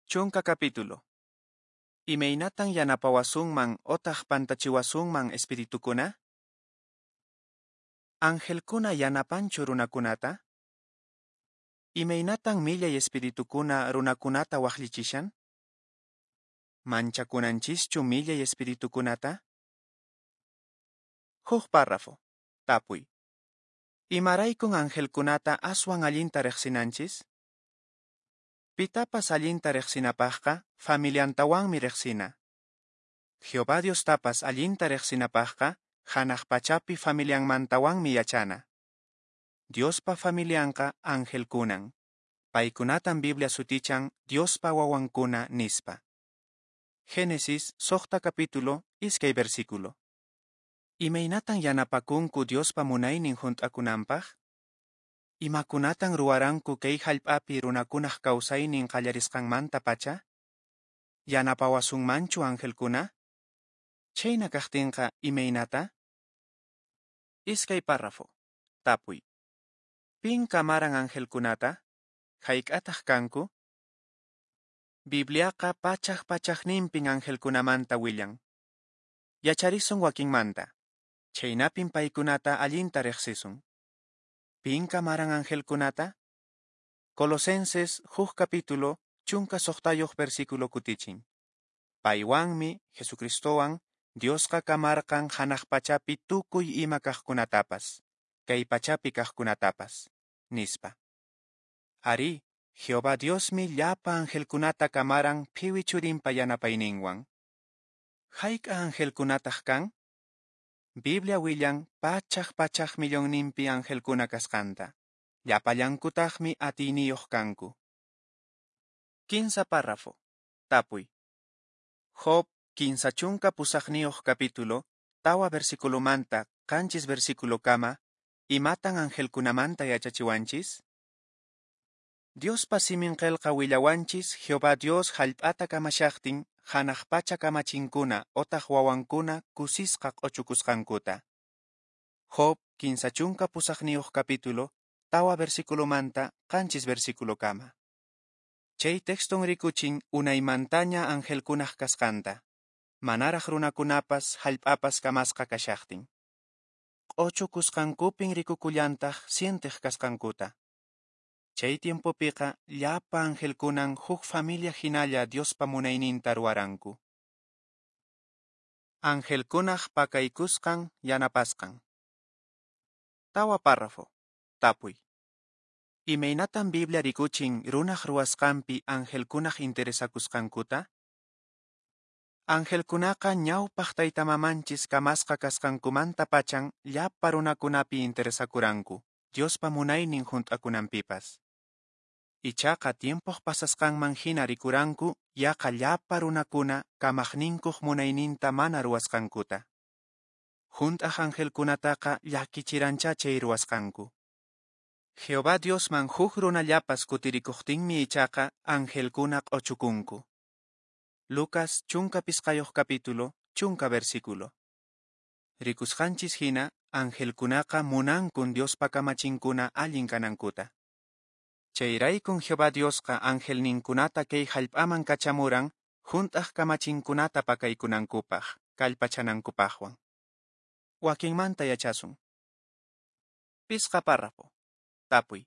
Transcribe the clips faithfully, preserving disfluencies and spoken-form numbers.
Chunka capítulo. Imaynatan yanapawasunman otaq pantachiwasunman espiritukuna? Angelkuna yanapanchu runakunata? Imaynatan millay espiritukuna runakunata waqllichishan? Manchakunanchischu millay espiritukunata? Huk párrafo. Tapuy. Imaraykun angelkunata aswan allinta riqsinanchis? Pitapas allinta riqsinapaqqa familiantawanmi riqsina. Jehová Diostapas allinta riqsinapaqqa hanaq pachapi familianmantawanmi yachana. Diospa familianqa angelkunan. Paykunatan Biblia sutichan Diospa wawankuna nispa. Génesis suqta capítulo iskay versículo. Imaynatan yanapakunku Diospa munaynin hunt'akunanpaq? Imakunatan ruwaranku kay hallp'api runakunaq kawsaynin qallarisqanmanta pacha? Yanapawasunmanchu angelkuna? Chhayna kaqtinqa imaynata? Iskay párrafo. Tapuy. Pin kamaran angelkunata? Hayk'ataq kanku? Bibliaqa pachak pachakninpin angelkunamanta willan. Yacharisun wakinmanta. Chhaynapin paykunata allinta riqsisun. Pin kamaran angelkunata? Colosenses huk capítulo chunka suqtayuq versículo kutichin. Paywanmi, Jesucristowan, Diosqa kamarqan hanaq pachapi tukuy ima kaqkunatapas, kay pachapi kaqkunatapas, nispa. Arí, Jehová Diosmi llapa angelkunata kamaran phiwi churinpa yanapayninwan. Hayk'a angelkunataq kan? Biblia willan pachak pachak millonninpi angelkuna kasqanta. Llapallankutaqmi atiyniyuq kanku. Kinsa párrafo. Tapuy. Job kinsa chunka pusaqniyuq capítulo, tawa versículomanta qanchis versículokama, imatan angelkunamanta yachachiwanchis? Diospa simin qillqa willawanchis Jehová Dios hallp'ata kamashaqtin hanaq pacha kamachinkuna otaq wawankuna kusisqa q'uchukusqankuta. Job kinsa chunka pusaqniyuq capítulo, tawa versículomanta qanchis versículokama. Chay texton rikuchin unaymantaña angelkunaq kasqanta, manaraq runakunapas hallp'apas kamasqa kashaqtin. Q'uchukusqankupin rikukullantaq sienteq kasqankuta. Chay tiempopiqa llapa angelkunan huk familia hinalla Diospa munayninta ruwaranku. Angelkunaq pakaykusqan yanapasqan. Tawa párrafo. Tapuy. Imaynatan Biblia rikuchin runaq ruwasqanpi angelkunaq interesakusqankuta? Angelkunaqa ñawpaq taytamamanchis kamasqa kasqankumanta pachan llapa runakunapi interesakuranku, Diospa munaynin hunt'akunanpipas. Ichaqa tiempoq pasasqanman hina rikuranku yaqa llapa runakuna kamaqninkuq munayninta mana ruwasqankuta. Hunt'aq angelkunataqa llakichirancha chay ruwasqanku. Jehová Diosman huk runallapas kutirikuqtinmi ichaqa angelkuna q'uchukunku. Lucas chunka pisqayuq capítulo, chunka versículo. Rikusqanchis hina, angelkunaqa munankun Diospa kamachinkuna allin kanankuta. Chayraykun Jehová Diosqa angelninkunata kay hallp'aman kachamuran hunt'aq kamachinkunata pakaykunankupaq, kallpachanankupaqwan. Wakinmanta yachasun. Pisqa párrafo. Tapuy.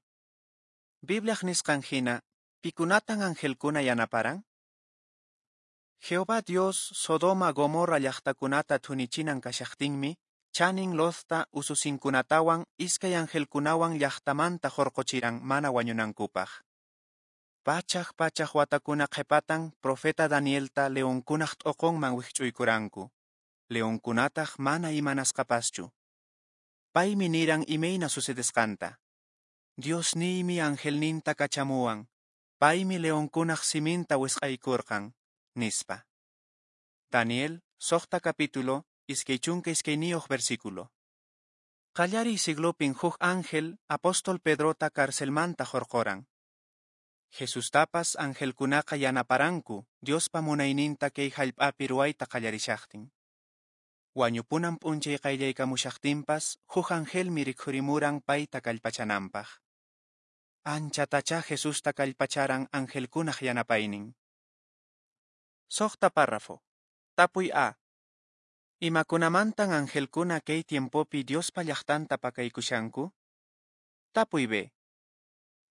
Bibliaq nisqan hina, pikunatan angelkuna yanaparan? Jehová Dios Sodoma Gomorra llaqtakunata thunichinan kashaqtinmi, chanin Lotta ususinkunatawan iskay angelkunawan llaqtamanta hurquchiran mana wañunankupaq. Pachak pachak watakuna qhipatan profeta Danielta leonkunaq t'uqunman wikch'uykuranku. Leonkunataq mana imanasqapaschu. Paymi niran imayna sucedesqanta. Diosniymi angelninta kachamuwan. Paymi leonkunaq siminta wisq'aykurqan, nispa. Daniel, suqta capítulo, iskay chunka iskayniyuq versículo. Qallariy siglopin huk ángel apóstol Pedrota carcelmanta hurquran. Jesustapas angelkunaqa yanaparanku Diospa munayninta kay hallp'api ruwayta qallarishaqtin. Wañupunan p'unchay qayllaykamushaqtinpas huk angelmi rikhurimuran payta kallpachananpaq. Anchatachá Jesusta kallpacharan angelkunaq yanapaynin. Suqta párrafo. Tapuy A. Imakunamantan angelkuna kay tiempopi Diospa llaqtanta pakaykushanku? Tapuy B.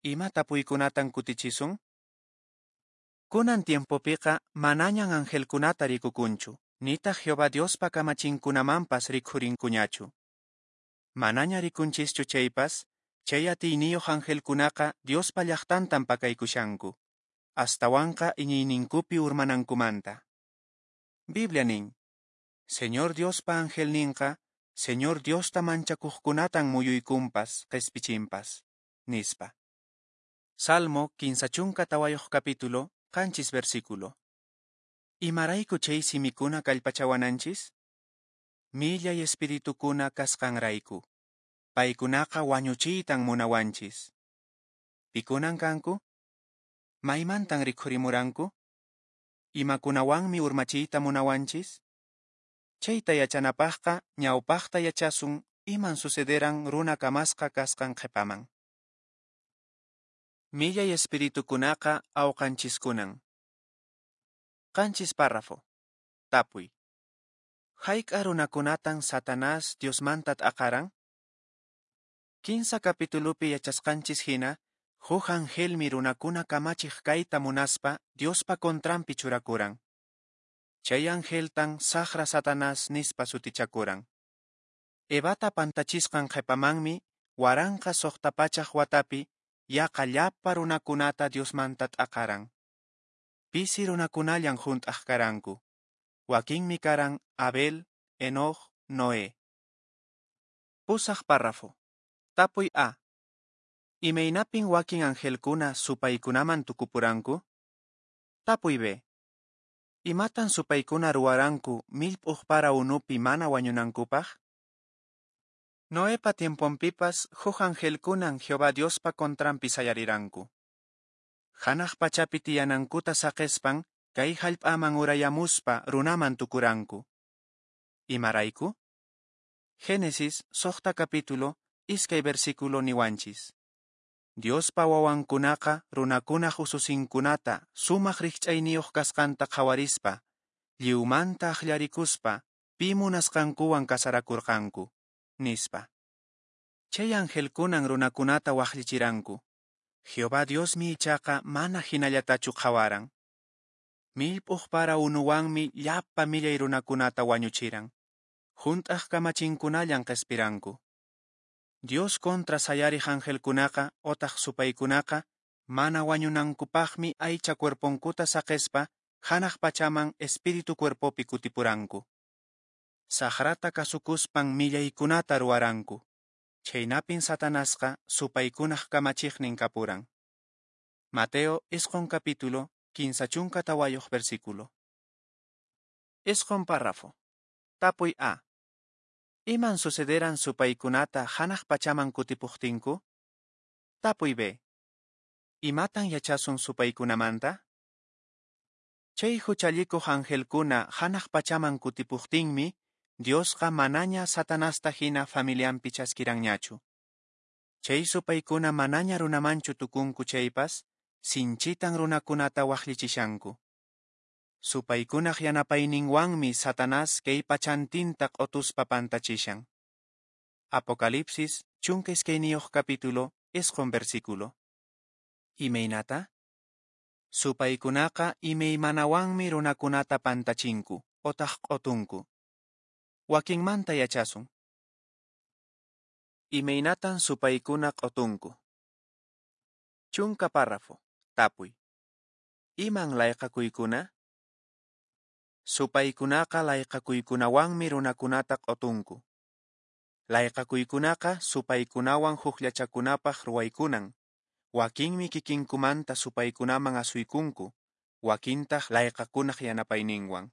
Ima tapuykunatan kutichisun? Kunan tiempopiqa manañan angelkunata rikukunchu, nitaq Jehová Diospa kamachinkunamanpas rikhurinkuñachu. Manaña rikunchischu chaypas, chay atiyniyuq angelkunaqa Diospa llaqtantan pakaykushanku, astawanqa iñiyninkupi urmanankumanta. Biblia nin, Señor Diospa angelninqa, Señor Diosta manchakuqkunatan muyuykunpas, qespichinpas, nispa. Salmo kinsa chunka tawayuq capítulo, qanchis versículo. Imarayku chay simikuna kallpachawananchis? Millay espiritukuna kasqanrayku. Paykunaqa wañuchiytan munawanchis. Pikunan kanku? Maymantan rikhurimuranku? Imakunawanmi urmachiyta munawanchis? Chayta yachanapaqqa ñawpaqta yachasun iman sucederan runa kamasqa kasqan qhipaman. Millay espiritukunaqa awqanchiskunan. Qanchis párrafo. Tapuy. Hayk'a runakunatan Satanás Diosmanta t'aqaran? Kinsa capitulupi yachasqanchis hina, huk angelmi runakuna kamachiq kayta munaspa Diospa contranpi churakuran. Chay angeltan saqra Satanás nispa sutichakuran. Evata pantachisqan qhipamanmi waranqa suqta pachaq watapi yaqa llapa runakunata Diosmanta t'aqaran. Pisi runakunallan hunt'aq karanku. Wakinmi karan Abel, Enoch, Noé. Pusaq párrafo. Tapuy A. Imaynapin wakin angelkuna supaykunaman tukupuranku? Tapuy B. Imatan supaykuna ruwaranku millp'uq para unupi mana wañunankupaq? Noepa tiemponpipas huk angelkunan Jehová Diospa contranpi sayariranku. Hanaq pachapi tiyanankuta saqespan kay hallp'aman urayamuspa runaman tukuranku. Imarayku? Génesis suqta capítulo iskay versículo niwanchis. Diospa wawankunaqa runakunaq ususinkunata sumaq rikch'ayniyuq kasqanta qhawarispa, lliwmanta akllarikuspa pi munasqankuwan kasarakurqanku, nispa. Chay angelkunan runakunata waqllichiranku. Jehová Diosmi ichaqa mana hinallatachu qhawaran. Millp'uq para unuwanmi llapa millay runakunata wañuchiran. Hunt'aq kamachinkunallan qhispiranku. Dios contra sayariq angelkunaqa otaq supaykunaqa mana wañunankupaqmi aycha cuerponkuta saqespa hanaq pachaman espíritu cuerpopi kutipuranku. Saqrata kasukuspan millaykunata ruwaranku. Chhaynapin Satanasqa supaykunaq kamachiqnin kapuran. Mateo isqun capítulo kinsa chunka tawayuq versículo. Isqun párrafo. Tapuy A. Iman sucederan supaykunata hanaq pachaman kutipuqtinku? Tapuy B. Imatan yachasun supaykunamanta? Chay huchallikuq angelkuna hanaq pachaman kutipuqtinmi, Diosqa manaña Satanasta hina familianpi chaskiranñachu. Chay supaykuna manaña runamanchu tukunku chaypas, sinchitan runakunata waqllichishanku. Supaykunaq yanapayninwanmi Satanás kay pachantinta q'otuspa pantachishan. Apocalipsis chunka iskayniyuq capítulo isqun versículo. Imaynata? Supaykunaqa imaymanawanmi runakunata pantachinku otaq q'otunku. Wakinmanta yachasun. Imaynatan supaykuna q'otunku. Chunka párrafo. Tapuy. Iman layqakuykuna? Supaykunaqa layqakuykunawanmi runakunata q'otunku. Layqakuykunaqa supaykunawan hukllachakunapaq ruwaykunan. Wakinmi kikinkumanta supaykunaman asuykunku, wakintaq layqakunaq yanapayninwan.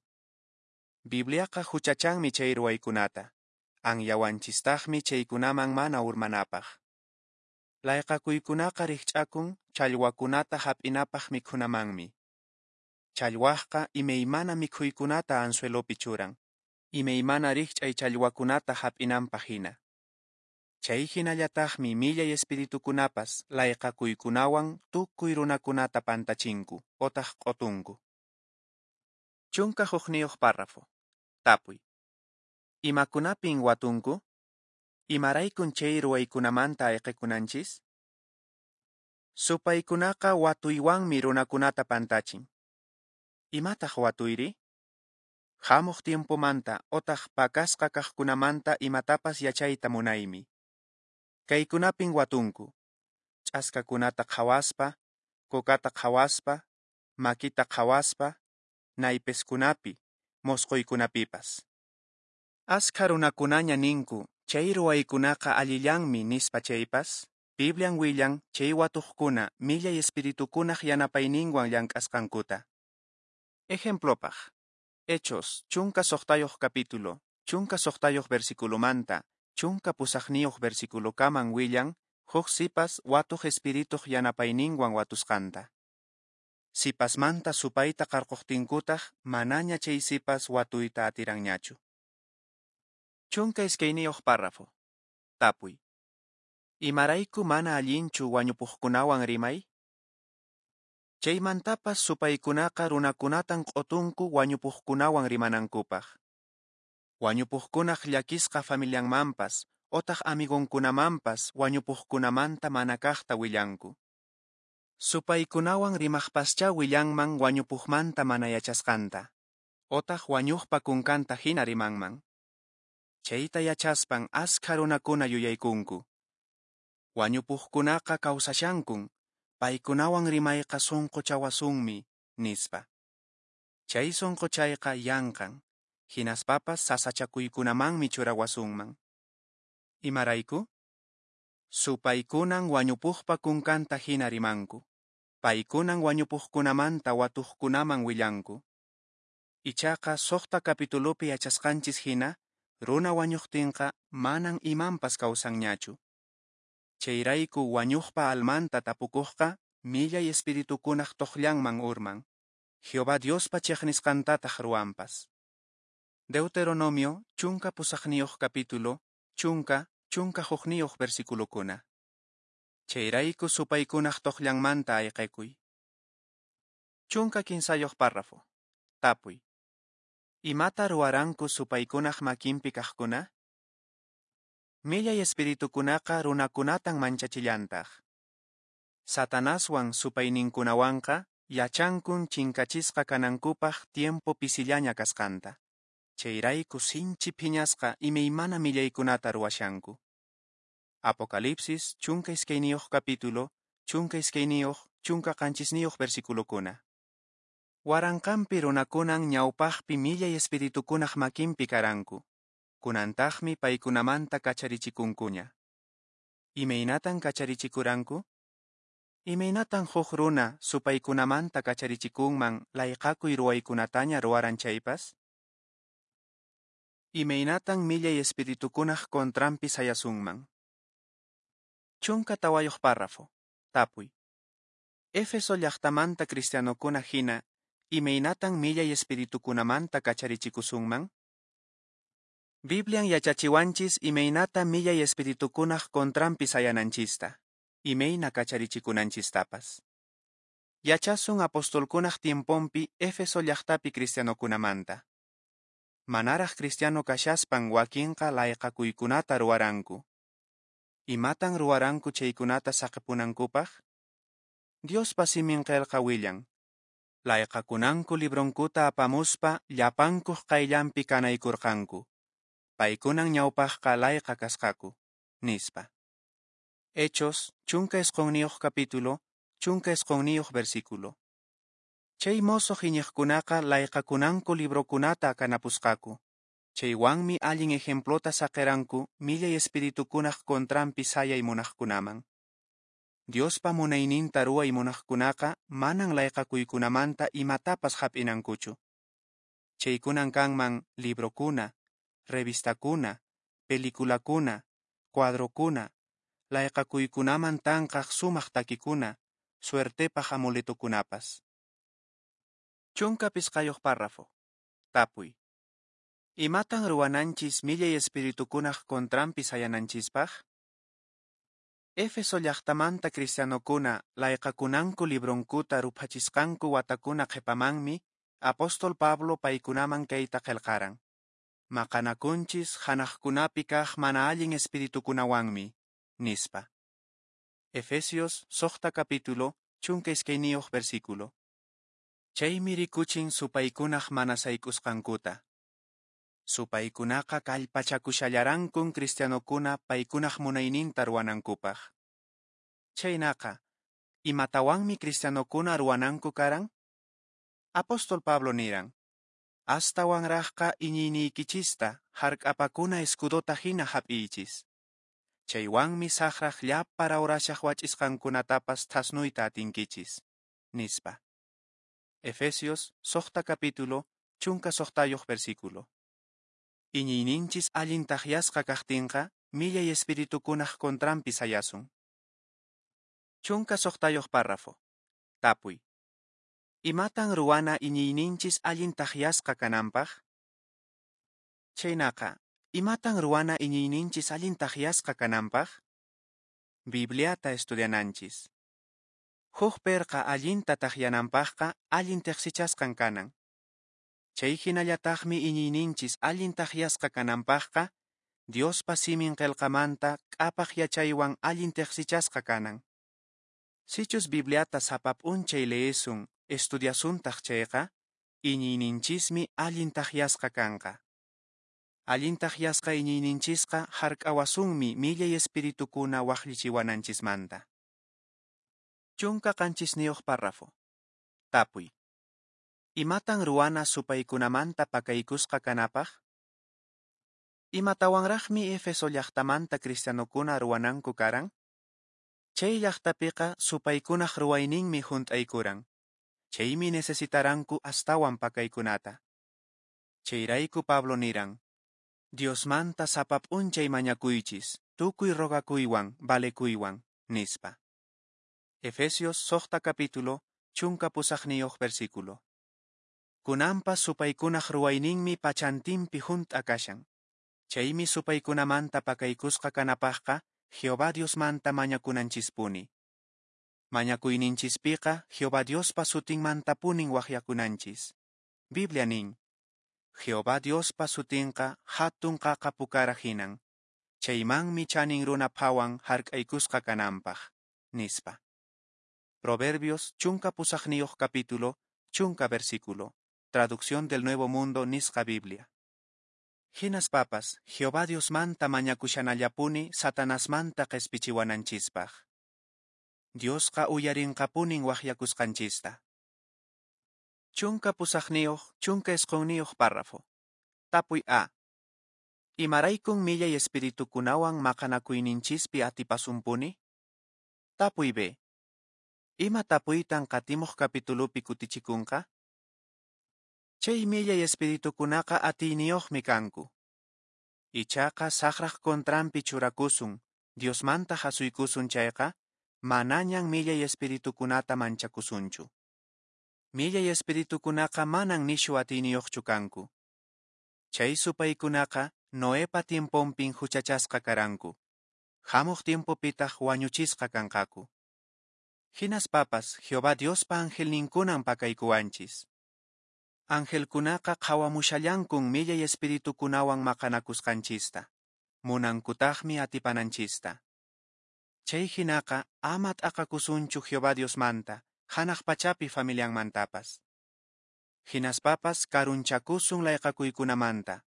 Bibliaqa huchachanmi chay ruwaykunata, anyawanchistaqmi chaykunaman mana urmanapaq. Layqakuykunaqa rikch'akun challwakunata hap'inapaq mikhunamanmi. Challwaqqa imaymana mikhuykunata anzuelopi churan, imaymana rikch'ay challwakunata hap'inanpaq hina. Chay hinallataqmi millay espiritukunapas layqakuykunawan tukuy runakunata pantachinku otaq q'otunku. Chunka hukniyuq párrafo. Tapuy. Imakunapin watunku? Imaraykun chay ruwaykunamanta ayqekunanchis? Supaykunaqa watuywanmi runakunata pantachin. Imataq watuyri? Hamuq tiempomanta otaq pakasqa kaqkunamanta imatapas yachayta munaymi. Kaykunapin watunku: ch'askakunata qhawaspa, kokata qhawaspa, makita qhawaspa, naypeskunapi, mosqoykunapipas. Askha runakunaña ninku chay ruwaykunaqa allillanmi nispa chaypas, Biblian willan chay watuqkuna millay espiritukunaq yanapayninwan llank'asqankuta. Ejemplopaq, Hechos chunka suqtayuq capítulo, chunka suqtayuq versiculomanta, chunka pusaqniyuq versiculokaman willan huk sipas watuq espirituq yanapayninwan watusqanta. Sipasmanta supayta qarquqtinkutaq manaña chay sipas watuyta atiranñachu. Chunka iskayniyuq párrafo. Tapuy. Imarayku mana allinchu wañupuqkunawan rimay? Chaymantapas supaykunaqa runakunatan q'utunku wañupuqkunawan rimanankupaq. Wañupuqkunaq llakisqa familianmanpas otaq amigonkunamanpas wañupuqkunamanta mana kaqta willanku. Supaykunawan rimaqpaschá willanman wañupuqmanta mana yachasqanta, otaq wañuqpa kunkanta hina rimanman. Chayta yachaspan askha runakuna yuyaykunku. Wañupuqkunaqa kawsashankun, paykunawan rimayqa sunquchawasunmi, nispa. Chay sunquchayqa yanqan, hinaspapas sasachakuykunamanmi churawasunman. Imarayku? Supaykunan wañupuqpa kunkanta hina rimanku. Paykunan wañupuqkunamanta watuqkunaman willanku. Ichaqa suqta capitulopi yachasqanchis hina, runa wañuqtinqa manan imanpas kawsanñachu. Chayrayku wañuqpa almanta tapukuqqa millay espiritukunaq toqllanman urman. Jehová Diospa chiqnisqantataq ruwanpas. Deuteronomio chunka pusaqniyuq capítulo, chunka, chunka hukniyuq versiculokuna. Chayrayku supaykunaq toqllanmanta ayqekuy. Chunka kinsayuq párrafo. Tapuy. Imata ruwaranku supaykunaq makinpi kaqkuna? Millay espiritukunaqa runakunatan manchachillantaq. Satanaswan supayninkunawanqa yachankun chinkachisqa kanankupaq tiempo pisillaña kasqanta. Chayrayku sinchi phiñasqa imaymana millaykunata ruwashanku. Apocalipsis chunka iskayniyuq capítulo, chunka iskayniyuq, chunka qanchisniyuq versiculokuna. Waranqanpi runakunan ñawpaqpi millay espiritukunaq makinpi karanku. Kunantaqmi paykunamanta kacharichikunkuña. Imaynatan kacharichikuranku? Imaynatan huk runa supaykunamanta kacharichikunman layqakuy ruwaykunataña ruwaran chaypas? Imaynatan millay espiritukunaq contranpi sayasunman? Chunka tawayuq párrafo. Tapuy. Éfeso llaqtamanta cristianokuna hina, imaynatan millay espiritukunamanta kacharichikusunman? Biblian yachachiwanchis imaynata millay espiritukunaq contranpi sayananchista, imayna kacharichikunanchistapas. Yachasun apostolkunaq tiemponpi Éfeso llaqtapi cristianokunamanta. Manaraq cristiano kashaspan wakinqa layqakuykunata ruwaranku. Imatan ruwaranku chaykunata saqipunankupaq? Diospa simin qillqa willan. Layqakunanku libronkuta apamuspa llapankuq qayllanpi kanaykurqanku. Paykunan ñawpaqqa layqa kasqaku, nispa. Hechos, chunka isqunniyuq capítulo, chunka isqunniyuq versículo. Chay mosoq iñiqkunaqa layqakunanku librokunata kanapusqaku. Chaywanmi allin ejemplota saqiranku millay espiritukunaq contranpi sayay munaqkunaman. Diospa munayninta ruway munaqkunaqa manan layqakuykunamanta imatapas hap'inankuchu. Chaykunan kanman librokuna, revistakuna, peliculakuna, cuadrokuna, layqakuykunaman tanqaq sumaq takikuna, suertepaq amuletokunapas. Chunka pisqayuq párrafo. Tapuy. Imatan ruwananchis millay espiritukunaq contranpi sayananchispaq? Éfeso llaqtamanta cristianokuna layqakunanku libronkuta ruphachisqanku watakuna qhipamanmi apóstol Pablo paykunaman kayta qelqaran, Maqanakunchis hanaqkunapi kaq mana allin espiritukunawanmi, nispa. Efesios suqta capítulo, chunka iskayniyuq versículo. Chaymi rikuchin supaykunaq mana sayk'usqankuta. Supaykunaqa kallpachakushallarankun cristianokuna paykunaq munayninta ruwanankupaq. Chhaynaqa, imatawanmi cristianokuna ruwananku karan? Apóstol Pablo niran, astawanraqqa iñiyniykichista hark'apakuna escudota hina hap'iychis. Chaywanmi saqraq llapa rawrashaq wach'isqankunatapas thasnuyta atinkichis, nispa. Efesios suqta capítulo, chunka suqtayuq versículo. Iñiyninchis allin takyasqa kaqtinqa, millay espiritukunaq contranpi sayasun. Chunka suqtayuq párrafo. Tapuy. Imatan ruwana iñiyninchis allin takyasqa kananpaq? Chhaynaqa, imatan ruwana iñiyninchis allin takyasqa kananpaq? Bibliata estudiananchis. Huk perqa allinta takyananpaqqa allin teqsichasqan kanan. Chay hinallataqmi iñiyninchis allin takyasqa kananpaqqa, Diospa simin qelqamanta k'apaq yachaywan allin teqsichasqa kanan. Sichus Bibliata sapa p'unchay leesun, estudiasuntaq chayqa, iñiyninchismi allin takyasqa kanqa. Allin takyasqa iñiyninchisqa hark'awasunmi millay espiritukuna waqllichiwananchismanta. Chunka qanchisniyuq párrafo. Tapuy. Imatan ruwana supaykunamanta pakaykusqa kanapaq? Imatawanraqmi Éfeso llaqtamanta cristianokuna ruwananku karan? Chay llaqtapiqa supaykunaq ruwayninmi hunt'aykuran. Chaymi necesitaranku astawan pakaykunata. Chayrayku Pablo niran, Diosmanta sapa p'unchay mañakuychis, tukuy rogakuywan, valekuywan, nispa. Efesios suqta capítulo, chunka pusaqniyuq versículo. Kunanpas supaykunaq ruwayninmi pachantinpi hunt'a kashan. Chaymi supaykunamanta pakaykusqa kanapaqqa Jehová Diosmanta mañakunanchispuni. Mañakuyninchispiqa Jehová Diospa sutinmantapunin waqyakunanchis. Biblia nin, Jehová Diospa sutinqa hatun qaqa pukara hinan. Chaymanmi chanin runa phawan hark'aykusqa kananpaq, nispa. Proverbios chunka pusaqniyuq capítulo, chunka versículo. Traducción del Nuevo Mundo nisqa Biblia. Hinaspapas, Jehová Diosmanta mañakushanallapuni Satanasmanta qespichiwananchispaq. Diosqa uyarinqapunin waqyakusqanchista. Chunka pusaqniyuq, chunka isqunniyuq párrafo. Tapuy A. Imaraykun millay espiritukunawan maqanakuyninchispi atipasunpuni? Tapuy B. Ima tapuytan qatimuq capitulupi kutichikunqa? Chay millay espiritukunaqa atiyniyuqmi kanku. Ichaqa saqraq contranpi churakusun, Diosmanta hasuykusun chayqa, manañan millay espiritukunata manchakusunchu. Millay espiritukunaqa manan nishu atiyniyuqchu kanku. Chay supaykunaqa Noepa tiemponpin huchachasqa karanku. Hamuq tiempopitaq wañuchisqa kanqaku. Hinaspapas Jehová Diospa angelninkunan pakaykuwanchis. Angelkunaqa qhawamushallankun millay espiritukunawan maqanakusqanchista. Munankutaqmi atipananchista. Chay hinaqa ama t'aqakusunchu Jehová Diosmanta, hanaq pachapi familianmantapas. Hinaspapas karunchakusun layqakuykunamanta,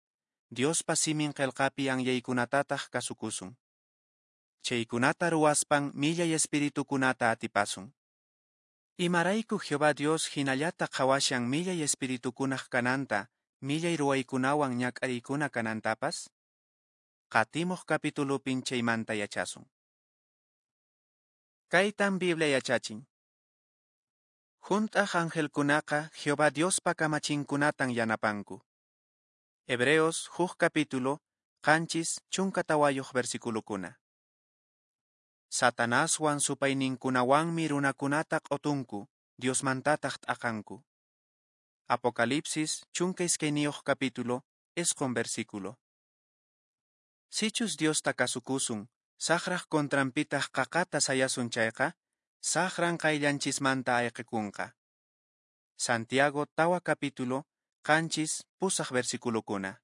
Diospa simin qelqapi anyaykunatataq kasukusun. Chaykunata ruwaspan millay espiritukunata atipasun. Imarayku Jehová Dios hinallata qhawashan millay espiritukunaq kananta, millay ruwaykunawan ñak'ariykuna kanantapas? Qatimuq capitulupin chaymanta yachasun. Kaytan Biblia yachachin. Hunt'aq angelkunaqa Jehová Diospa kamachinkunatan yanapanku. Hebreos huk capítulo, qanchis chunka tawayuq versiculukuna. Satanaswan supayninkunawanmi runakunata q'utunku, Diosmantataq t'aqanku. Apocalipsis chunka iskayniyuq capítulo, isqun versículo. Sichus Diosta kasukusun, saqraq contranpitaq qaqata sayasun chayqa, saqran qayllanchismanta ayqikunqa. Santiago tawa capítulo, qanchis, pusaq versiculokuna.